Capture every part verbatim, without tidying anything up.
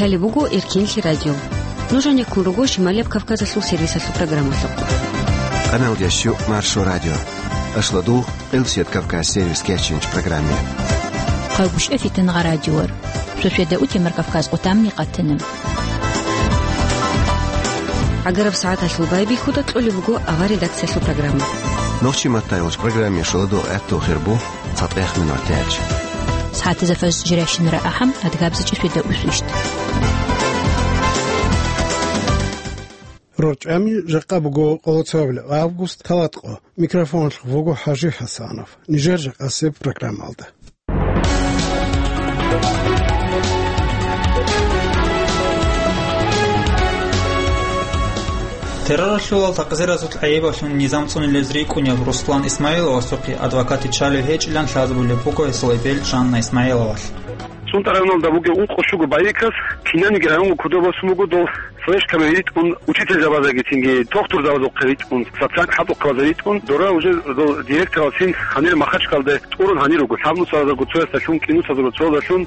Лъалеб буго Эркинлъи радио. Нуж гьанеккун руго Шималияб Кавказалъул сервисалъул программалъухъ. Къаналдиясчу Маршо радио. Ашлодугъ Элсет Кавказ сервис кечинч программе. Къагушев Фитнагъа радиор. Шошведа утемар Кавказ къутамни къатана. ГӀагараб сагӀаталъул байбихьуда кьолеб буго авар редакциялъул программа. Нохчи маттайолч программе шоладугъ гӀатту хирбу. ЦатӀех минут тяч. СагӀатизафас жиращинара ахӀам, адгабзичӀи шведа усвищт. РорчӀами жакъа буго къолоцоябли август, талатӀкъо. Микрофонлъ вуго ХӀажи ХӀасанов. Нижер жакъасеб программалда. Терроралъулал такъзиразул гӀайибалъун низам цӀунилез рикӀкӀунеб Руслан Исмаиловасухъе адвокат виччалев гьечӀилан лъазабулеб буго гьесул эбел Жанна Исмаиловалъ. ЦӀунтӀараб районалда бугев ункъо щуго байикас кинаниги районго кодобе босун буго, дол флешкаби ритӀун, учительзабазеги цинги тохтурзабазухъе ритӀун, социальный хӀалтӀухъабазе ритӀун, дора уже дол директоралцин гьанир Махачкалде тӀурун гьанир руго, лъабнусазарго цоясдалъун, кӀинусазарго цоясдалъун.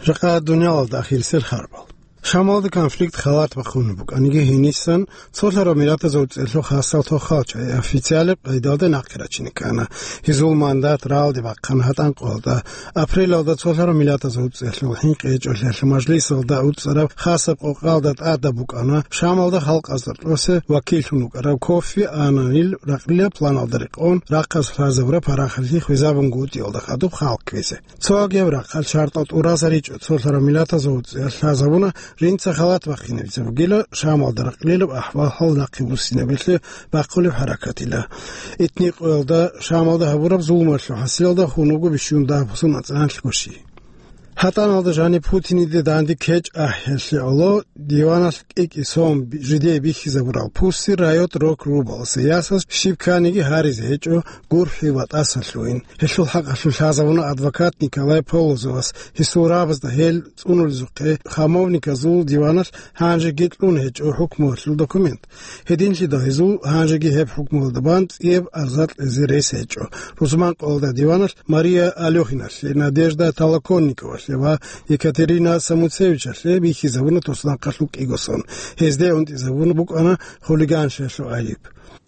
Жакъа дуниялалда ахирисел харбал. Шамалда конфликт халат бахъун букӀаниги, гьенисан цолъараб миллатазул цӀелъул хасал тохал чагӀи официалаб къайдалда нахъе рачине ккана. Гьезул мандат рагӀалде бахъана гьатӀан къоялда. Апрелалда цолъараб миллатазул цӀелъул хӀинкъи гьечӀолъиялъул мажлисалда уцӀцӀараб хасаб къокъалда тӀадаб букӀана Шамалда халкъазда кьосе вакиллъун вукӀарав Кофи Аннанил ракълилаб планалда рекъон рахъалъ лъазабураб парахалъи хвезабунгутӀиялда хадуб халкъ кквезе. Цо агеб рахъалъ шартӀал тӀуразаричӀо цолъараб миллатазул цӀиялъ лъазабуна, жинца халат бахъинабизе бугила Шамалда ракълилаб ахӀвал-хӀал нахъе буссинабилъи бахъулеб хӀаракатила. Итни къоялда Шамалда гьабураб зулмалъул хӀасилалда хун вуго бищун дагьаб-бусун ацӀаналъго щий. ГьатӀаналда жаниб Путиниде данде кечӀ ахӀиялъе гӀоло диваналъ кӀи-кӀи сон жидее бихьизабурал пусси райот рок рубаласе ясаз щиб кканиги гьаризе гьечӀо гурхӀи ва тӀасалъугьин. Гьелъул хӀакъалъулъ лъазабуна адвокат Николай Полозовас, гьесул рагӀабазда гьел цӀунулезухъе хамовниказул диваналъ гьанжеги кьун гьечӀо хӀукмуялъул документ. Гьединлъидал гьезул гьанжеги гьеб хӀукмуялда бан цӀияб арза кьезе рес гьечӀо. Рузман къоялда диваналъ Мария Алёхиналъе, Надежда Толоконниковалъе ва Екатерина Самуцевичалъе бихьизабуна туснахъалъул кӀиго сон. Гьезде унтӀизабун букӀана хулиганщиналъул гӀайиб.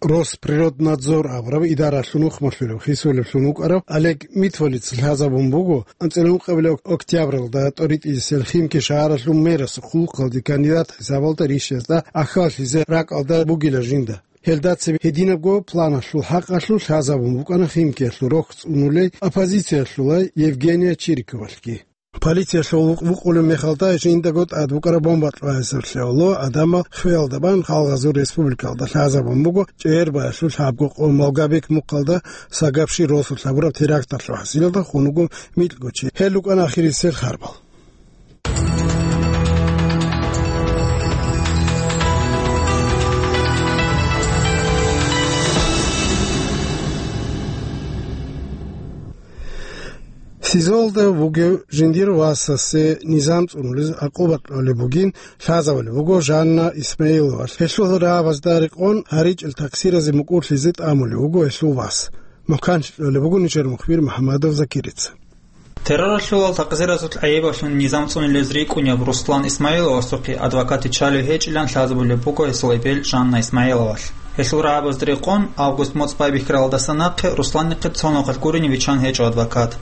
Росприроднадзор абураб идаралъул нухмалъурав хисулевлъун вукӀарав Олег Митвалиц лъазабун буго анцӀила ункъабилеб октябралда тӀоритӀисел Химки шагьаралъул мерасухъ хъулухъалде кандидат хӀисабалда рищезда ахьаллъизе ракӀалда бугила жинда. Гьелда цебе гьединабго планалъул хӀакъалъулъ лъазабун букӀана Химкиялъул рохь цӀунулей оппозициялъулай Евгения Чириковалъги. Полициялъул вукъулеб мехалда жиндаго тӀад букӀараб бомба кьвагьизаблъи гӀоло адамал хвеялда бан Халгъазул республикалда лъазабун буго ЧӀегӀербаялъул лъабго къо Малгобек мухъалда Сагабши росулъ гьабураб теракталъул хӀасилалда хун вуго микьго чи. Гьел рукӀана ахирисел харбал. СИЗОлда вугев жиндир васасе низам цӀунулез гӀакъуба кьолеб бугин лъазабулеб буго Жанна Исмаиловалъ. Гьелъул рагӀабазда рекъон гьаричӀел такъсиразе мукӀурлъизе тӀамулев вуго гьелъул вас. Мухъан кьолеб буго нижер мухбир МухӀамадов Закирица. Терроралъулал такъзиразул гӀайибалъун низам цӀунилез рикӀкӀунеб Руслан Исмаиловасухъе адвокат виччалев гьечӀилан лъазабулеб буго гьесул эбел Жанна Исмаиловалъ. Гьелъул рагӀабазда рекъон август моцӀ байбихьаралдаса нахъе Русланихъе цо нухалъ гурони виччан гьечӀо адвокат.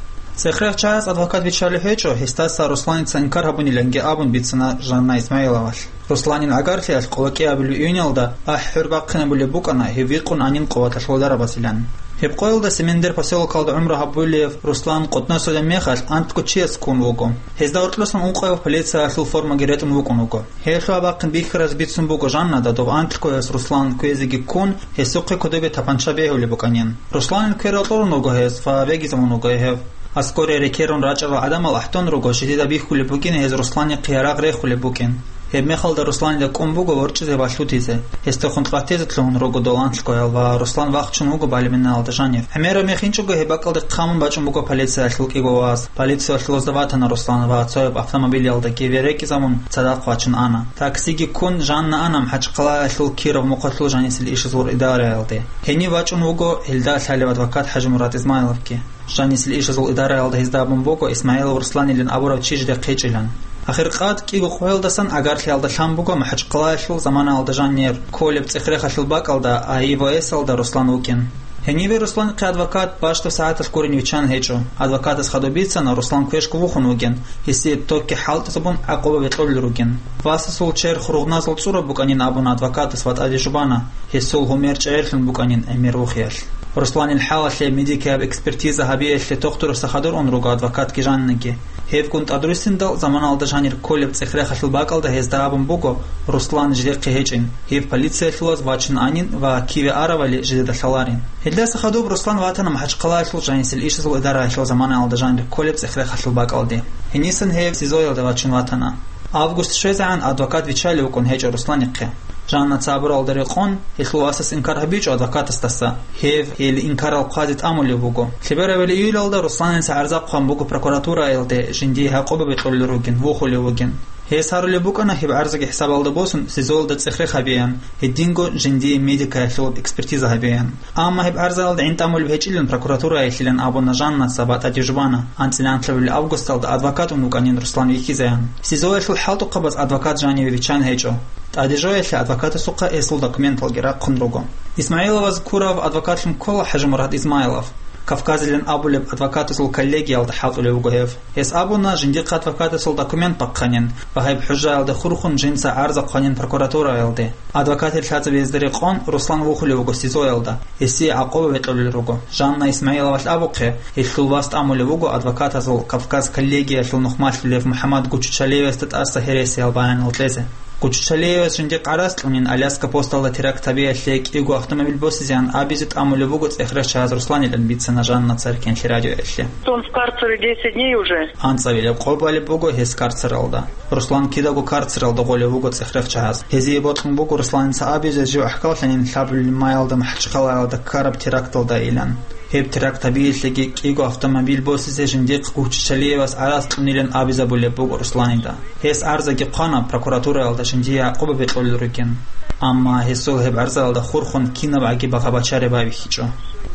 Цех рагъ чагӀаз адвокат виччалев гьечӀо, гьесдаса Русланица инкар гьабуниланги абун бицана Жанна Исмаиловалъ. Русланил гӀагарлъиялъ къоло кӀиабилеб июньалда ахӀи-хӀур бахъинабулеб букӀана гьев вихъун гьанин къуваталъул дарабазилан. Гьеб къоялда Семендер поселокалда гӀумру гьабулев Руслан къотӀносулеб мехалъ анкьго чияс ккун вуго. Гьезда гьоркьосан ункъояб полициялъул формаги ретӀун вукӀун вуго. Гьелъул гьабахъин бихьараз бицун буго Жаннада дов анкьгояс Руслан кквезеги ккун, гьесухъе кодобе тапанча бегьулеб букӀанин. Русланил кквер кьурун вуго гьес ва вегизабун вуго гьев. Аскоре рекерун рачӀарал гӀадамал ахӀдун руго, жидеда бихьулеб букӀин гьез Русланихъе ярагъ рехулеб букӀин. Гьеб мехалда Русланида кӀун буго ворчӀизе ва лъутизе. Гьесдехун къватӀизе лъугьун руго дол анкьгоял ва Руслан вахчун вуго балебиналда жанив. ГӀемераб мехинчӀого гьеб бакӀалде хъамун бачӀун буго полициялъул кӀиго вас. Полициялъулазда ватана Руслан ва цояб автомобилялдаги верекӀизабун цадахъ вачун ана. Таксиги ккун Жанна ана МахӀачхъалаялъул Киров мухъалъул жанисел ишазул идараялде. Гьенив вачӀун вуго гьелда лъалев адвокат ХӀажимурад Измайловги. Жанисел ишазул идараялда гьезда абун буго Исмаилов Русланилан абурав чи жидехъ гьечӀилан. Ахиркъад кӀиго къоялдасан агарлъиялда лъан буго МахӀачхъалаялъул заманаялда жанир кколеб цӀех-рехалъул бакӀалда, АИВС-алда Руслан вукӀин. Гьенибе Русланихъе адвокат бащдаб сагӀаталъ гурин виччан гьечӀо. Адвокатас хадуб бицана, Руслан квешго вухун вугин, гьесие токги хӀалтӀизабун гӀакъуба бекьулел ругин. Васасул черх ругъназул цӀураб букӀанин абуна адвокатас ва тӀаде жубана, гьесул гьумер чӀегӀерлъун букӀанин гӀемер вухиялъ. Русланил хӀалалъе медикияб экспертиза гьабиялъе тухтурасда хадур ун руго адвокатги жаннаги. Гьебгун тӀадруссиндал заманалда жанир кколеб цӀех-рехалъул бакӀалда гьезда абун буго, Руслан жидехъе гьечӀин, гьев полициялъулаз вачин анин ва киве аравали жидеда лъаларин. Гьелдаса хадуб Руслан ватана МахӀачхъалаялъул жанисел ишазул идараялъул заманаялда жанир кколеб цӀех-рехалъул бакӀалде. Гьенисан гьев СИЗО-ялда вачин ватана. Август щвезегӀан адвокат виччалев вукӀун гьечӀо Русланихъе. Жанна цабуралда рекъон, гьелъул васас инкар гьабичӀо адвокатасдаса. Гьев гьел инкарал хъвазе тӀамулев вуго. Лъеберабали июлалда Русланица гӀарза хъван буго прокуратураялде, жиндие гӀакъуба бекьулел ругин, вухулев вугин. Гьес гьарулеб букӀана гьеб гӀарзаги хӀисабалда босун СИЗО-ялда цӀех-рех гьабеян, гьединго жиндие медикаялъул экспертиза гьабеян. Амма гьеб гӀарзаялда гӀин тӀамулеб гьечӀилан прокуратураялъилан абуна Жаннаца ва тӀаде жубана, анцӀила анлъабилеб августалда адвокат ун вукӀанин Руслан вихьизеян. СИЗО-ялъул хӀалтӀухъабаз адвокат жаниве виччан гьечӀо. ТӀаде жоялъе адвокатасухъа гьесул документалги рахъун руго. Исмаиловаз ккурав адвокатлъун ккола ХӀажимурад Измайлов. Кавказилан абулеб адвокатазул коллегиялда хӀалтӀулев вуго гьев. Гьес абуна, жиндихъ адвокатасул документ бахъанин ва гьеб хӀужаялда хурхун жинца гӀарза хъванин прокуратураялде. Адвокатил лъазабиязда рекъон Руслан вухулев вуго СИЗО-ялда, гьесие гӀакъуба бекьулел руго. Жанна Исмаиловалъ абухъе, гьелъул вас тӀамулев вуго адвокатазул Кавказ коллегиялъул нухмалъулев МухӀаммад Гуччалиевасда тӀаса гьересиял баянал кьезе. Гуччалиевас жиндихъ гӀарац кьунин Аляска посталда теракт гьабиялъе кӀиго автомобиль босизеян абизе тӀамулеб буго цӀех-рехчагьаз Русланилан, бицана Жанна Царкенлъи радиоялъе. Он в карцере десять дней уже. АнцӀабилеб къо балеб буго гьес карцералда. Руслан кидаго карцералда гъолев вуго цӀех-рехчагьаз. Гьезие бокьун буго Русланица абизе жив гӀахьаллъанин лъабабилеб маялда МахӀачхъалаялда ккараб теракталдайилан. Гьеб теракт гьабиялъеги кӀиго автомобиль босизе жиндихъ Гуччалиевас гӀарац кьунилан абизабулеб буго Русланида. Гьес гӀарзаги хъвана прокуратураялда жиндие гӀакъуба бекьулел ругин. Амма гьесул гьеб гӀарзаялда хурхун кинабгӀаги багъа-бачари байбихьичӀо.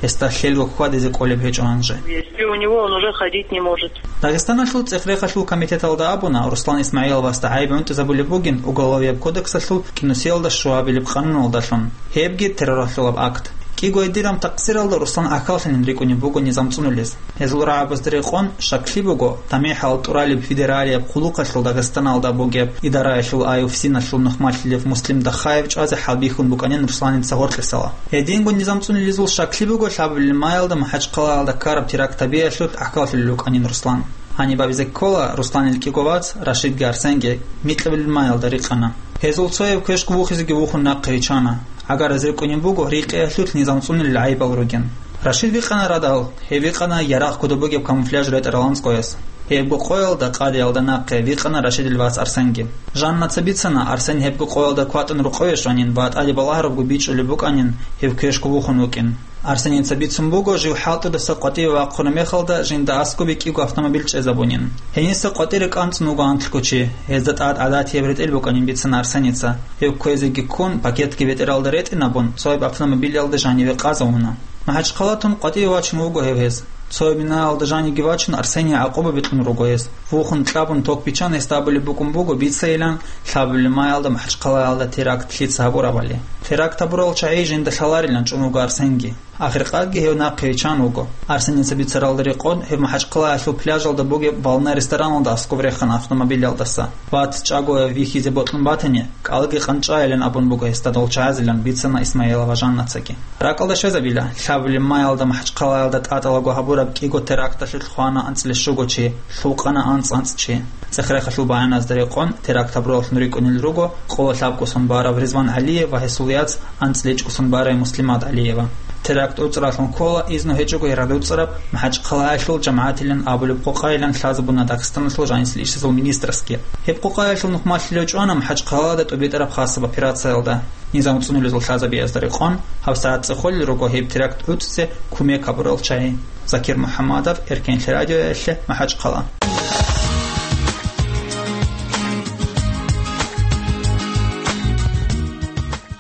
Гьесда лъелго хьвадизе кӀолеб гьечӀо гьанже. Если у него, он уже ходить не может. Дагъистаналъул цӀех-рехалъул комитеталда абуна, Руслан Исмаиловасда гӀайиб гӀунтӀизабулеб бугин Уголовияб кодексалъул кӀинусиялда щуабилеб къануналдалъун. Гьебги терроралъулаб акт. КӀиго гьединаб такъсиралда Руслан гӀахьаллъанин рикӀкӀунеб буго низам цӀунулез. Гьезул рагӀабазда рекъон, щаклъи буго, тамихӀал тӀуралеб федералияб хъулухъалъул Дагъистаналда бугеб идараялъул АИВСИНалъул нухмалъулев Муслим Дахаев чӀвазе хӀалбихьун букӀанин Русланица гъоркьесала. Гьединго низам цӀунулезул щаклъи буго лъабабилеб маялда МахӀачхъалаялда ккараб теракт гьабиялъулъ гӀахьаллъулел рукӀанин Руслан. Гьаниб абизе ккола, Русланил кӀиго вац Рашидги Арсенги микьабилеб маялда рикъана. Гьезул цояв квешго вухизеги вухун нахъе виччана. ГӀагараз рикӀкӀунеб буго рекъиялъулъ низам цӀунулел гӀайибал ругин. Рашид вихъана радал, гьев вихъана ярагъ кодоб бугеб камуфляж ретӀарал анцӀгояс. Гьебго къоялда къадиялда нахъе вихъана Рашидил вац Арсенги. Жаннаца бицана, Арсен гьебго къоялда кватӀун рукъове щванин ва тӀаде балагьарабго бичӀчӀулеб букӀанин гьев квешго вухун вукӀин. Арсеница бицун буго, жив хӀалтӀудаса къватӀиве вахъуна мехалда жинда аскӀобе кӀиго автомобиль чӀезабунин. Гьениса къватӀире кӀанцӀун вуго анлъго чи, гьезда тӀад гӀадатияб ретӀел букӀанин бицана Арсеница. Гьев кквезеги ккун, пакетги бетӀералда ретӀинабун, цояб автомобилялда жаниве къазавуна. МахӀачхъалатун къватӀиве вачун вуго гьев гьез. Цояб минаялда жаниги вачун Арсение гӀакъуба бикьун руго гьез. Вухун кьабун ток биччан гьесда абулеб букӀун буго бицайилан лъабабилеб маялда МахӀачхъалаялда теракт лъица гьабурабали. Теракт гьабурал чагӀи жинда лъаларилан чӀун вуго Арсенги. Ахиркъадги гьев нахъе виччан вуго. Арсеница бицаралда рекъон, гьев МахӀачхъалаялъул пляжалда бугеб «Волна» рестораналда аскӀоб рехана автомобилялдаса. Вац чӀагояв вихьизе бокьун батани, кӀалги къанчӀайилан абун буго гьесда дол чагӀазилан, бицана Исмаилова Жаннацаги. РакӀалда щвезабила, лъабабилеб маялда МахӀачхъалаялда тӀатӀалаго гьабураб кӀиго теракталъулъ хвана анцӀила щуго чи, лъукъана анцӀ-анцӀ чи. ЦӀех-рехалъул баяназда рекъон, теракт гьабураллъун рикӀкӀунел руго къоло лъабкӀусан барав Ризван ГӀалиев ва гьесул яц анцӀила ичӀкӀусан барай Муслимат ГӀалиева. Теракт уцӀраллъун ккола изну гьечӀого радуцӀараб МахӀачхъалаялъул жамагӀатилан абулеб къокъайилан лъазабуна Дагъистаналъул жанисел ишазул министрасги. Гьеб къокъаялъул нухмалъилев чӀвана МахӀачхъалаялда тӀубитӀараб хасаб операциялда. Низам цӀунулезул лъазабиязда рекъон, гьабсагӀат цӀехолел руго гьеб теракт гӀуцӀизе кумек гьабурал чагӀи. Закир МухӀаммадов, Эркенлъи радиоялъе, МахӀачхъала.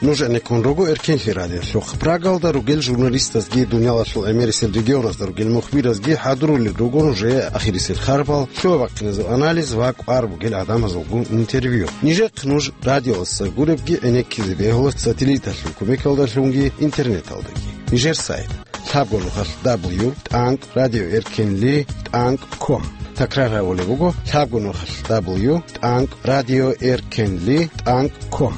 Нуж гӀенеккун руго Эркенлъи радиолъухъ. Прагалда ругел журналистазги, дуниялалъул гӀемерисел регионазда ругел мухбиразги хӀадурулел руго нужее ахирисел харбал, лъугьа-бахъиназул анализ ва кӀвар бугел гӀадамазулгун интервью. Нижехъ нуж радиоялдаса гуребги гӀенеккизе бегьула сателлиталъул кумекалдалъунги интернеталдаги. Нижер сайт: лъабго нухалъ дабл ю тӀанкӀ радио эркенли тӀанкӀ ком. Такрар гьабулеб буго: лъабго нухалъ дабл ю тӀанкӀ радио эркенли тӀанкӀ ком.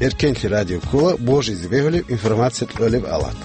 Эркенлъи радио ккола божизе бегьулеб информация кьолеб алат.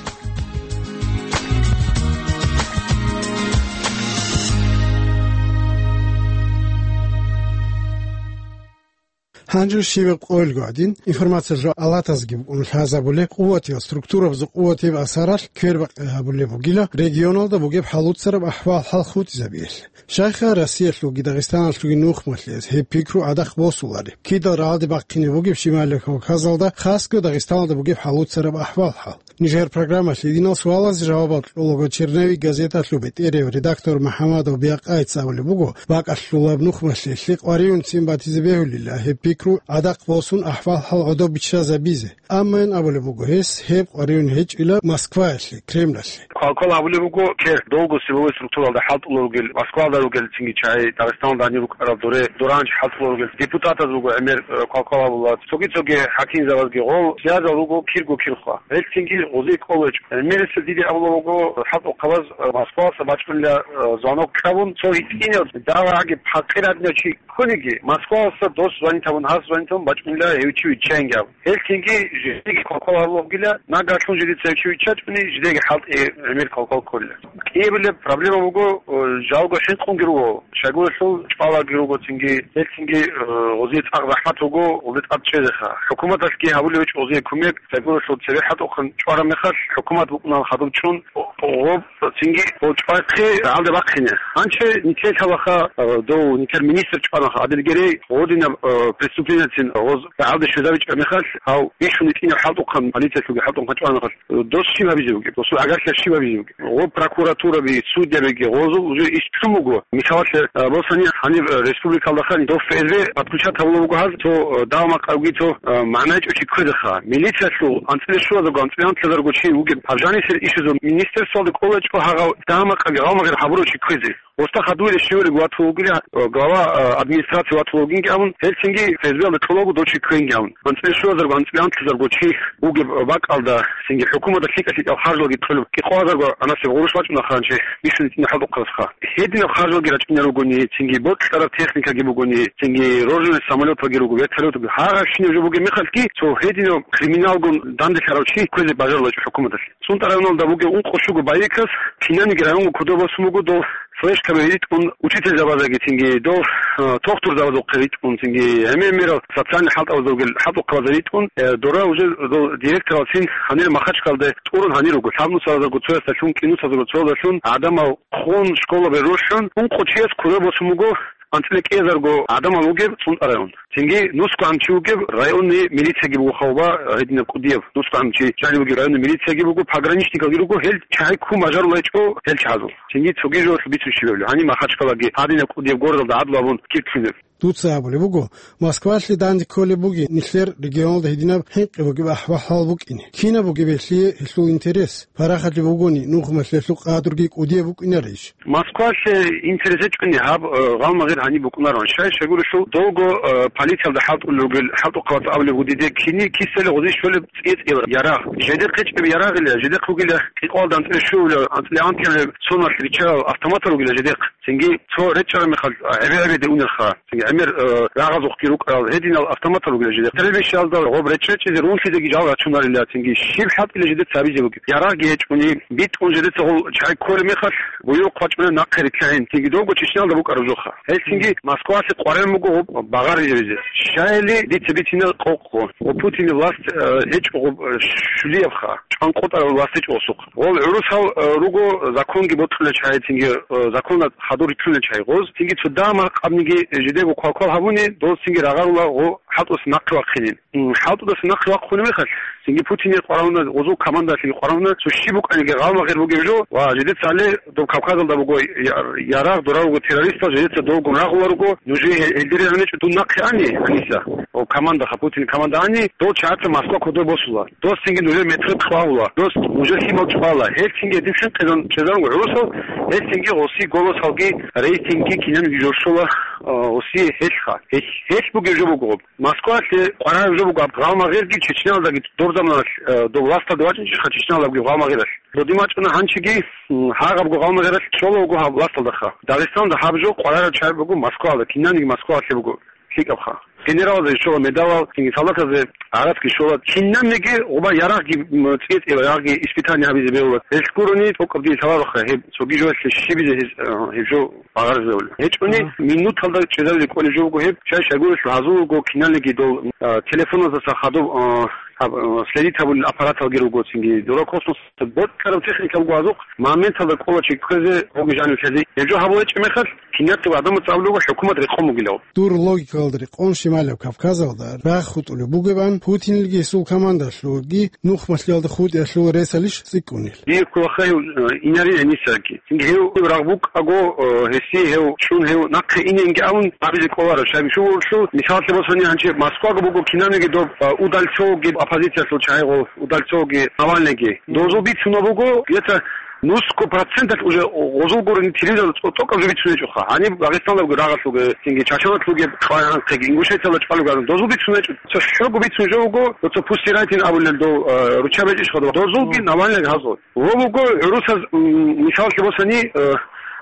Гьанже щибаб къоялго гӀадин, информациялъул алатазги букӀун лъазабулеб, къуватиял структурабазул къуватияб асаралъ квербакъи гьабулеб бугила регионалда бугеб хӀалуцараб ахӀвал-хӀал хутӀизабиялъе. Щайха Россиялъулги Дагъистаналъулги нухмалъиялъ гьеб пикру гӀадахъ босулареб? Кидал рагӀалде бахъине бугеб Щиб-, Щиб-, Щибаб Кавказалда, хасго Дагъистаналда бугеб хӀалуцараб ахӀвал-хӀал? Нижер программалъ гьединал суалазе жавабал кьолаго «Черновик» газеталъул бетӀерев редактор МухӀамадов Биакъайица абулеб буго, бакӀалъулаб нухмалъиялъе къваригӀунцин батизе бегьулила гьеб пикру гӀадахъ босун ахӀвал-хӀал гӀодоб биччазабизе. Амма ин абулеб буго гьес, гьеб къваригӀун гьечӀила Москваялъе, Кремлалъе. Квалквал гьабулеб буго, кер долго силовой структуралда хӀалтӀулел ругел, Москвалда ругел цинги чагӀи, Дагъистаналда гьанир рукӀарал доре, доранчи хӀалтӀулел ругел депутатаз буго гӀемер, э, квалквал гьабула. Цоги-цоги хӀакимзабазги гъол связал руго кирго кирхва. Гьел цинги гъозие кӀолечӀо. ГӀемерисел диде абула буго, хӀалтӀухъабаз, э, Москвалъа бачӀунила, э, звонок кьабун, цо гьитӀинав, дагьаги пакъирадинав чи ккониги, Москвалъа дос звонит гьабун, гьас звонит гьабун бачӀунила гьев чи виччаинги абун. Гьел цинги жидеги квалквал гьабула бугила, нагагьлъун жидеца гьев чи виччачӀони, жидеги хӀалтӀи гӀемер квалквал кколила. КӀиябилеб проблема буго, э, жалго хӀинкъунги руго, щайгурелъул чӀвалаги руго цинги, гьел цинги, э, гъозие цӀакъ захӀмат буго, гъолде тӀад чӀезеха. ХӀукуматалъги гьабулеб гьечӀо гъозие кумек, щайгурелъул цебе хӀалтӀухъан чӀвараб мехалъ, хӀукумат букӀунан хадуб чӀун, гъоб цинги гъол чӀвайхъе рагӀалде бахъине. Гьанже нилъер лъалаха, э, дов нилъер министр чӀванаха, Адил Герей, гъодинаб, э, преступленицин гъоз рагӀалде щвезабичӀеб мехалъ, гьав бищун гьитӀинаб хӀалтӀухъан, полициялъулги хӀалтӀухъан чӀванаха. Дос щиб гьабизе бугеб? Досул гӀагарлъиялъ щиб гьабизе бугеб? Гъоб прокуратураби, судьябиги, гъозул уже иш чӀун буго. Мисалалъе, а, босани гьаниб, а, республикалда хани дов ФСБ подключать гьабула буго гьаз, цо, а, дагьа-макъавги цо, а, магӀна гьечӀо чи кквезеха. Милициялъул анцӀила щуазарго, анцӀила анлъазарго чи вугеб. Гьаб жанисел ишазул министерствоялда кӀолечӀо гьагъав дагьа-макъавги гъалмагъир гьабурав чи кквезе. Гъосда хадуб щивали ватулгила, э, глава, э, администрации ватулгинги абун, гьелцинги ФСБ-алда кьолаго дов чи кквенги абун. АнцӀила щуазарго, анцӀила анлъазарго чи вугеб бакӀалда, цинги хӀукуматалъ лъикӀа-лъикӀал харжалги кьолеб, кӀикъоазарго анасеб гъурущ бачӀунаха гьанже бищун гьитӀинаб хӀалтӀухъазха. Гьединаб харжалги рачӀунел ругони, цинги бокьараб техникаги бугони, цинги роженый самолеталги руго, вертолеталги, гьагъабщинаб жо бугеб мехалъги, цо гьединаб криминалгун данделъарав чи кквезе бажарулачӀо хӀукуматалъе. СунтӀа районалда бугеб ункъо щуго боевикас кинаниги районго кодоб босун буго дов флешкаби ритӀун учительзабазаги цинги дов, э, тохтурзабазухъе ритӀун цинги гӀемер-гӀемерал социальный хӀалтӀабазда ругел хӀалтӀухъабазда ритӀун, э, дора уже дол директоралцин гьанир Махачкалде тӀурун гьанир руго, лъабнусазарго цоясдалъун, кӀинусазарго цоясдалъун гӀадамал хун школабе рухӀун, ункъо чияс кодоб босун буго анцӀила кӀиазарго гӀадамал вугеб СунтӀа район. Цинги нусго гӀан чи вугеб районный милициягиб вухавба гьединаб кӀудияб. Нусго гӀан чи жанив вугеб районный милициягиб вуго, пограничникалги руго, гьел чагӀи ккун бажарулайчӀо гьел чагӀазул. Цинги цогидал бицун щибабли. Гьаниб Махачкалаги гьадинаб кӀудияб городалда гӀадлу абун кирлъунеб. Дуца абулеб буго, Москвалъе данде кколеб бугин нилъер регионалда гьединаб хӀинкъи бугеб ахӀвал-хӀал букӀине. Кинаб бугеб гьелъие гьелъул интерес? Парахалъе бугони, нухмалъиялъул къадруги кӀудияб букӀинарищ? Москвалъе интерес гьечӀони гьаб, э, гъалмагъир гьаниб букӀунарон. Щай-щай гурелъул долго, э, полициялда хӀалтӀулел ругел, хӀалтӀухъабаз абулеб буго диде кини кисали гъозие щолеб цӀе-цӀеяв ярагъ. Жидехъ гьечӀеб ярагъила, жидехъ ругила кӀикъоялда анцӀила щуабилеб, анцӀила анлъабилеб соналъ риччарал автоматал ругила жидехъ. Цинги цо речӀчӀараб мехалъ, а, гӀебе-гӀебеде унелха. Цинги гӀемер, э, рагъазухъги рукӀарал гьединал автоматал ругила жидехъ. Стрельбищалда гъоб речӀчӀичӀезе рунлъизеги жал рачунарила, цинги щиб хӀалтӀила жидеца гьабизе бугеб? Ярагъги гьечӀони, битӀун жидеца гъол чагӀи кколеб мехалъ, буюрухъ бачӀунеб нахъе рилълъагӀин, цинги довго Чечнялда букӀараб жоха. Гьел цинги Москвасе къваригӀун буго гъоб багъар рижабизе. Щайили дица бицина къокъго. Ва Путинил власть, э, гьечӀо гъоб, э, щулиябха. анкъотӀарал васичӀо гъосухъ. Гъол гӀурусал, э, руго законги бокьулел чагӀи, цинги, э, законалда хадур рилълъунел чагӀи гъоз, цинги цо дагьа-макъабниги жидего квалквал гьабуни, доз цинги рагъарула гъо хӀалтӀуса нахъе вахъинин. М, хӀалтӀудаса нахъе вахъуни мехалъ, цинги Путиние къварагьуна, гъозул командалъеги къварагьуна, цо щиб букӀаниги гъалмагъир бугеб жо, ва жидеца гьале доб Кавказалда буго я-, ярагъ, дора руго террористал, жидеца долгун рагъула руго, нужее гье-, гьелдиригӀаничӀо дун нахъе ани, Аниса, о, командаха, Путин команда ани, дол чагӀаца Москва кодобе босула. Дос цинги нужер метрет хъвагьула, дос нужер лъимал чӀвала. Гьел цинги гьедин хӀинкъизан чӀезаруго гӀурусал, гьел цинги гъоси голосалги рейтингги кинабниги жо щола, а, гъоси гьелха. Гьел, гьел бугеб жо буго гъоб. Москвалъе къварагӀаб жо буго гьаб гъалмагъирги Чечняялдаги доб заманалъ, а, доб власталде вачӀинчӀищха Чечняялдабги гъалмагъиралъ. Додин вачӀуна гьанчиги, м, гьагъабго гъалмагъиралъ чӀола вуго гьаб власталдаха. Дагъистанда гьаб жо къварараб чагӀи буго Москвалда, кинабниги Москвалъе буго. ЛъикӀабха. Генералазе щола медалал, цинги солдатазе гӀарацги щола. Кинабниги гъоба ярагъги, м, цӀикӀкӀила, ярагъги испытание гьабизе бегьула. Гьелъ гурони, тӀокӀаб дие лъалароха гьеб, цоги жоялъе щибизе гьез, э, гьеб жо багъаризабула. ГьечӀони, минуталда чӀезаризе кӀолеб жо буго гьеб, щай-щайгурелъул гьазул руго, киналниги дол, э, телефоназдаса хадуб, э, гьаб, э, следить гьабулел аппараталги руго, цинги дора космос бокьараб техникалго азухъ моменталда кӀола чи кквезе гъоги жанив лъазе. Гьеб жо гьабулечӀеб мехалъ, кинабго гӀадамаца абулеб хӀукумат рекъон бугилав. Дур логикалда рекъон Щималев Кавказалда рагъ хутӀулеб бугебан, Путинилги гьесул командалъулги нухмалъиялда хутӀиялъул ресалищ цӀикӀкӀунел? Дие кколаха гьев, э, инарин гьанисаги. Цинги гьев рагъ букӀаго, э, гьесие гьев чӀун гьев нахъе иненги абун абизе кколаро. Щайгурелъул, мисаллъе босани, гьанчи Москваго буго кинабниги доб, э, Удальцовги, оппозициялъул чагӀи гъов, Удальцовги, Навальныйги. Дозул бицунеб буго, где-то нусго проценталъ уже гъозул гурони телевизор цо-, тӀокӀаб жо бицунечӀоха. Гьаниб Дагъистаналдаго рагъалъуги, цинги Чачаналъуги хъвай-хъанхъиги, Ингушетиялда чӀвалуги гьарун. Дозул бицунечӀо. Цо щуго бицун жо вуго, цо пустирайтин абулел дов, э, руччаби гьечӀищха дов. Дозулги Навальныйги гьазул. Гъо буго гӀурусаз, м, мисаллъи босани, э,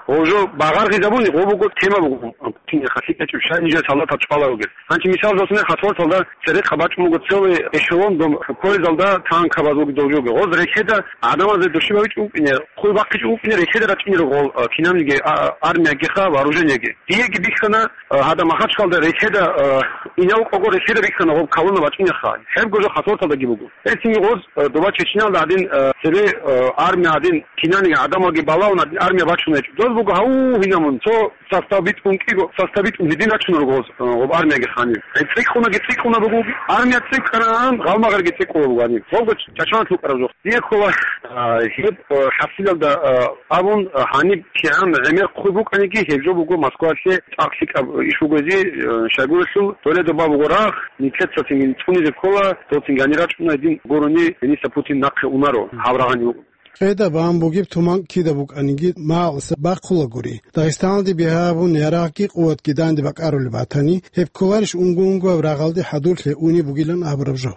гъо жо багъаргъизабуни, гъо буго тема буго. Кине хасикъ гьечӀеб, щай нижер солдатал чӀвала ругел. Гьанчи мисал босани, хасарталда церехъа бачӀун буго целый эшелон дом, поездалда танкабазулги довжоги. Гъоз рехеда гӀадамазе души бавичӀ вукӀине, хъуй бахъичӀ вукӀине, рехеда рачӀине руго, э, кинабниги, а, армиягиха, вооружениеги. Диеги бихьана, э, гьада Махачкалда рехеда, э, инав кӀого рехеда бихьана гъоб колонна бачӀунеха. Гьебго жо хасарталдаги буго. Гьелъинги гъоз, э, доба Чечняялда гьадин, э, цебе, э, армия гьадин кинани гӀадамалги балагьун гьадин армия бачун гьечӀо. Доз буго гьав гьинамун, цо состав битӀун кӀиго, состав битӀун гьедин рачунар гъоз, э, гъоб армияги ханив. Э, цӀикӀкӀунаги цӀикӀкӀуна буго, армия цӀикӀкӀанаан, гъалмагъарги цӀикӀкӀула буго гьанив. Гъобго Чачаналъ вукӀараб жо. Дие ккола, э, гьеб, э, хӀасилалда, э, абун, э, гьаниб кигӀан гӀемер хъуй букӀаниги, гьеб жо буго Москвалъе цӀакъ лъикӀаб иш бугози, э, щайгурелъул, Толедо баб буго рагъ, нилъеца цинги цӀунизе ккола, дов цинги гьанир рачӀуна гьедин гурони, гьениса Путин нахъе унаро, гьав рагъани вукӀун. Къеда бан бугеб туман кида букӀаниги, магӀуса бахъулагури. Дагъистаналде бигьа гьабун, ярагъги къуватги данде бакӀарулеб батани, гьеб кколарищ унго-унгояб рагъалде хӀадурлъи унеб бугилан абураб жо?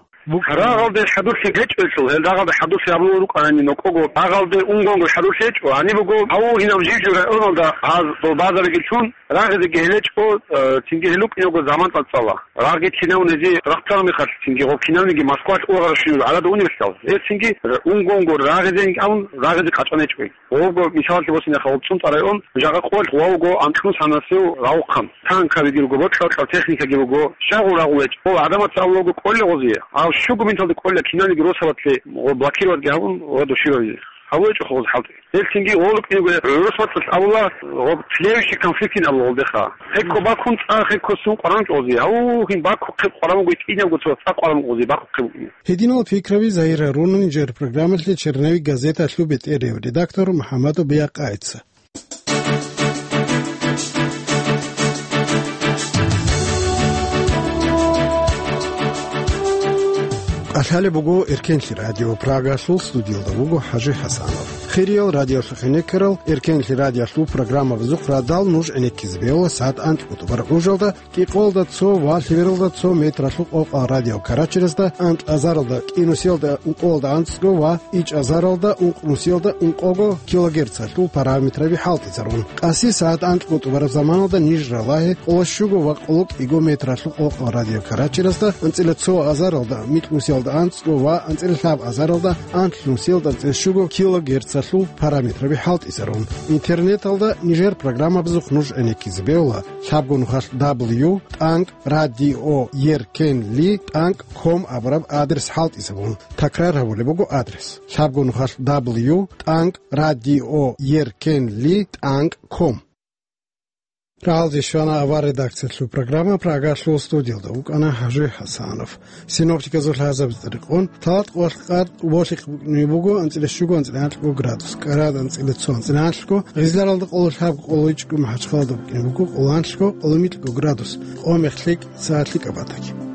Рагъалде хӀадурлъи гьечӀелъул, гьел рагъалде хӀадурлъи гьабулел рукӀанани нокӀого, рагъалде унгонго хӀадурлъи гьечӀо, гьаниб буго гьав гьинав жив-жив районалда гьаз долбазабиги лъун, рагъизеги гьелечӀо, э, цинги гьел рукӀиного заман цӀацӀала. Рагъги кинав незе рахъцараб мехалъ, цинги гъоб кинавниги Москвалъ ургъарабщинаб гӀадада унеб гьелъал. Гьеб цинги унгонго рагъизеинги абун, рагъизе къачӀанечӀо. Гъобго мисаллъи босинеха, гъоб ЦӀунтӀа район, жагъа къоялъ гъов вуго анкьнусанасев гъавухъан. Танкабиги руго, бокьа-бокьа техникаги буго. Щай гъов рагъулечӀо? Гъов гӀадамаца абулаго кӀоле гъозие. Гьав щуго минуталда кӀоле кинавниги росабалъе гъо блокироватги гьабун ва души бавизе. ГьабулечӀо гъоз хӀалтӀи. Гьел цинги гъов рукӀиного гӀурус бацӀцӀалъ абула, гъоб тлевищий конфликтин абула гъолдеха. Хекко бакун цӀа, хекко сун къварамчӀо гъозие. Гьав гьин бакухъеб къварам буго, кӀинабго цо цӀа къварам гъозие бакухъеб букӀине. Гьединал пикраби Загьир Гьарунани жер программалъе «Черновик» газеталъул бетӀерияв редактор МухӀаммадов Биякъайца. КӀалъалеб буго Эркенлъи радио, Прагалъул студиялда вуго ХӀажи ХӀасанов. Хириял радиолъухъе некерал, Эркенлъи радиолъул программабазухъ радал нуж гӀенеккизе бегьула сагӀат анкьго тӀубараб гӀужалда, кӀикъоялда цо ва лъебералда цо метралъул къокъал радио Карачерезда, анкь азаралда, кӀинусиялда, ункъоялда анцӀго ва ичӀазаралда, ункънусиялда, ункъого килогерцалъул параметраби хӀалтӀизарун. Къаси сагӀат анкьго тӀубараб заманалда ниж ралагье къоло щуго ва къоло кӀиго метралъул къокъал радио Карачерезда, анцӀила цо азаралда, микьнусиялда анцӀго ва анцӀила лъаб азаралда, анлънусиялда анцӀила щуго килогерц Лъул параметраби хӀалтӀизарун. Интернеталда нижер программабазухъ нуж гӀенеккизе бегьула лъабго нухалъ дабл ю тӀанкӀ радио еркенли тӀанкӀ ком абураб адрес хӀалтӀизабун. Такрар гьабулеб буго адрес: лъабго нухалъ дабл ю тӀанкӀ радио еркенли тӀанкӀ ком. Рагьалде щвана авар редакциялъул программа, Прагалъул студиялда вукӀана ХӀажи ХӀасанов. Синоптиказул лъазабизе рекъон, Талат къоялъ къад болъихъ букӀине буго анцӀила щуго, анцӀила гьанлъго градус, КӀарада анцӀила цо, анцӀила гьанлъго, Гъизларалда къоло лъабго, къоло ичӀго, МахӀачхъалада букӀине буго къоло гьанлъго, къоло микьго градус, къо мехлъи, цо лъикӀаб батаги.